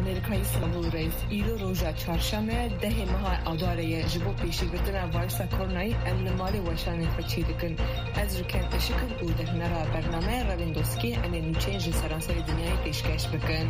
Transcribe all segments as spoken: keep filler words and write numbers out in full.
Amerîkayî Sibû Reis, îro roja çarşemê, dehê meha Adarê ye. Ji bo pêşîgirtina vayrusa koronayî em li malê weşanên xwe çêdikin. Ez Rûken Işik im û di hunera bernameya Revên Doskê em ê nûçeyên ji seranserê dinyayê pêşkeş bikin.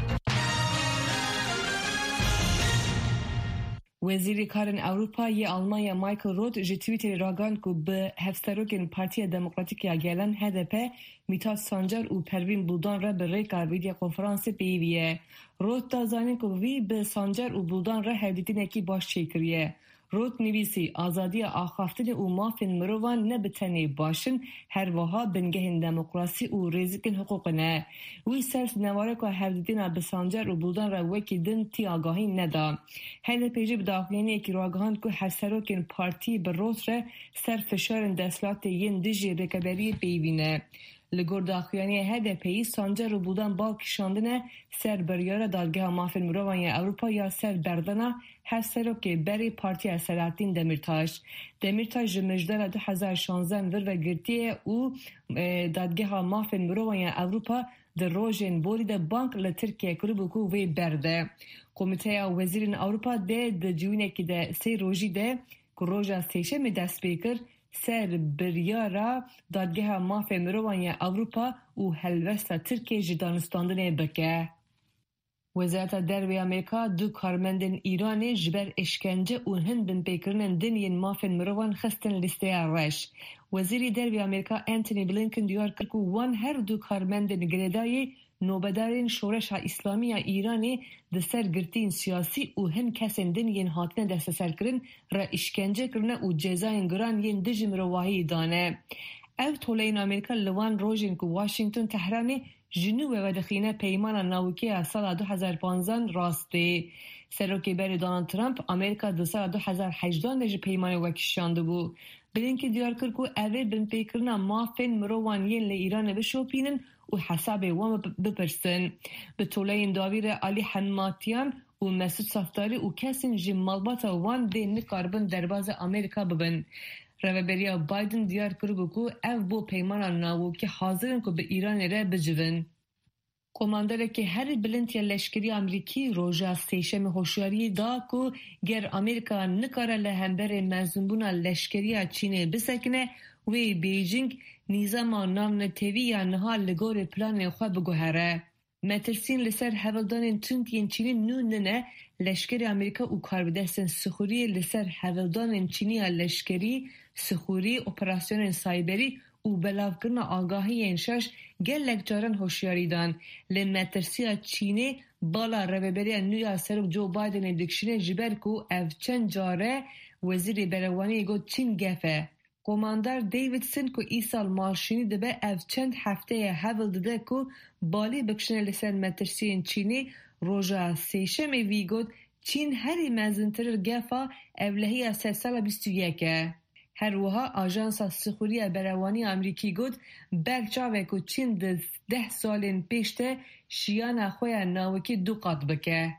Wezîrê Karên Ewropa yê Almanya Michael Roth ji Twitterê ragihand ku bi hevserokên Partiya Demokratîk ya Gelan, H D P, Mîtat Sancar û Pervîn Buldan re bi rêka vîdyokonferansê peyivî ye. Roth da zanîn ku vî bi Sancar û Buldan re hevdîtinekî baş çêkiriye. Roth nivîsî, Azadiya axaftinê û mafên mirovan ne bi tenê baş in, her wiha bingehên demokrasî û rêzikên hiqûqê ne. Wî ser sinevareka hevdîtina bi Sancar û Buldan re wekî din tî agahî neda. H D P jî bi daxuyaniyekî ragihand ku hevserokên partî bi Roth re ser fişarên desthilatê yên dijî rêveberiyê peyivî ne. Li gor daxuyaniya H D P'yî, Sancar û Buldan bal kişandine ser biryara Dadgeha Mafên Mirovan ya Ewropa ya ser berdana hevserokê berê Partiya Selahattîn Demîrtaş. Demîrtaş ji mijdara du hezar şanzeh vir ve girtiye û, e, Dadgeha Mafên Mirovan ya Ewropa di rojên borî de bang li Tirkiye kiribû ku wê berde. Komîteya Wezîrên Ewropa dê di civînekî de sê rojî de ku roja Sêşemê dest pê kir, ser biryara Dadgeha Mafê Mirovan ya Ewropa û helwesta Tirkiyê ji danûstandinê bike. Wezareta Derve ya Amerîka du karmendên Îranê ji ber îşkence û hin binpêkirinên din yên mafên mirovan xistin lîsteya reş. Wezîrê Derve ya Amerîka Antony Blinken diyar kir ku wan her du karmendên girêdayî nobedarên Şoreşa Îslamî ya Îranê di ser girtiyên siyasî û hin kesên din yên hatine desteserkirin re îşkence kirine û cezayên giran yên dijî mirovahiyê dane. Ev toleyên Amerîka li wan rojên ku Washington Tehranê ji nû ve vedixîne peymana nawikê ya sala du hezar panzdan rastê. Serokê berê Donald Trump Amerîka di sala du hezar hejdan de ji peymanê wekişandibû. Blinken diyar kir ku ev ê binpêkirina mafên mirovan yên li Îranê bişopînin û hesabê wan bi-, bipirsin. Bi toleyên dawî re Alî Hemmatiyan û Mesûd Saftarî û kesên ji malbata wan dê nikaribin derbazê Amerîka bibin. Rêveberiya Biden diyar kiribû ku ev bo peymana nawokî hazir in ku bi Îranê re bicivin. Komanderekî herî bilind ya leşkerî Amerîkî roja Sêşemê hoşyariyê da ku ger Amerîka nikare li hemberî mezinbûna leşkerî ya Çînê bisekine, wê Beijing nîzama navnetewî ya niha li gorî planên xwe biguhere. Metirsiyên li ser hevildanên tund yên Çînê nû nine, leşkerê Amerîka û karbidestên sixuriyê li ser hevildanên Çînî ya leşkerî, sixurî, operasyonên sayberî û belavkirina agahiyên şaş gelek caran hoşyarî dan. Lê metirsiya Çînê bala rêveberiya nû ya Serok Joe Bidenê dikişîne, ji ber ku ev çend care Wezîrê Berevaniyê got Çîn gef e. Komandar Davidson ku îsal malşînî dibe, ev çend hefteye hewl dide ku balê bikişîne li ser metirsiyên Çînê. Roja Sêşemê vî got, Çîn herî mezintir gefa ewlehiya sedsala bîst û yek e. Her wiha Ajansa Sixuriya Berewanî ya Amerîkî got, berçav e ku Çîn di deh salên pêş de şiyana xwe ya nawikî du qat bike.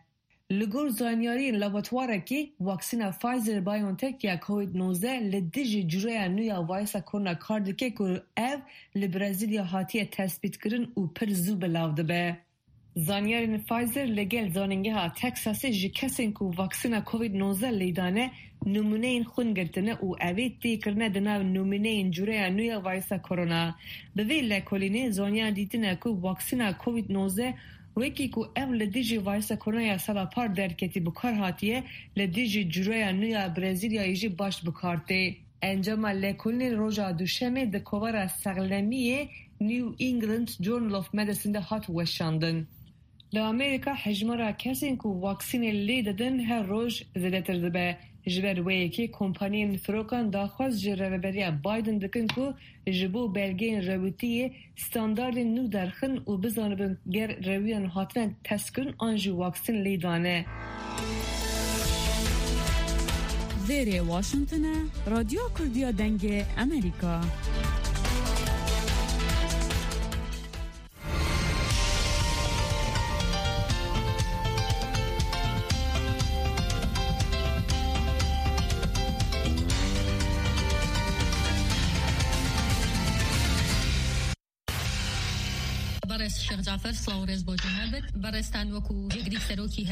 Li gor zanyariyên laboratuwarekî, waksîna Pfizer-BioNTech ya Covid nozdeh li dijî cureya nû ya vayrusa korona kar dike ku ev li Brezîlya hatiye tespîtkirin û pir zû belav dibe. Zanyarên Pfizer li gel Zanîngeha Texasê ji kesên ku vaksîna Covid nozdeh lê dane, nimûneyên xwîn girtine û ev ê tê kirine di nav nimûneyên cureya nû ya vayrusa korona. Bi vê lekolînê, zanyar dîtine ku vaksîna Covid nozdeh, wekî ku ev li dijî vayrusa korona ya sala par derketî, bi kar hatiye, li dijî cureya nû ya Brezîlyayê jî baş bi kar tê. Encama lekolînê roja Duşemê di kovara sexlemiyê New England Journal of Medicine de hat weşandin. Li Amerîka hejmara kesên ku vaksînê lê didin her roj zêdetir dibe. Ji ber wê yekê kompaniyên firokan daxwaz ji Rêveberiya Biden dikin ku ji bo belgeyên rewitiyê standardên nû derxin û bizanibin ger rewiyan hatine testkirin an jî waksîn lê dane. Vêrê Washington e, Radyo Kurdiya Dengê Amerîka. Berêz Şêx Cafer, silav û rêz bo te hebit. Berêztan wekû yek dî serokî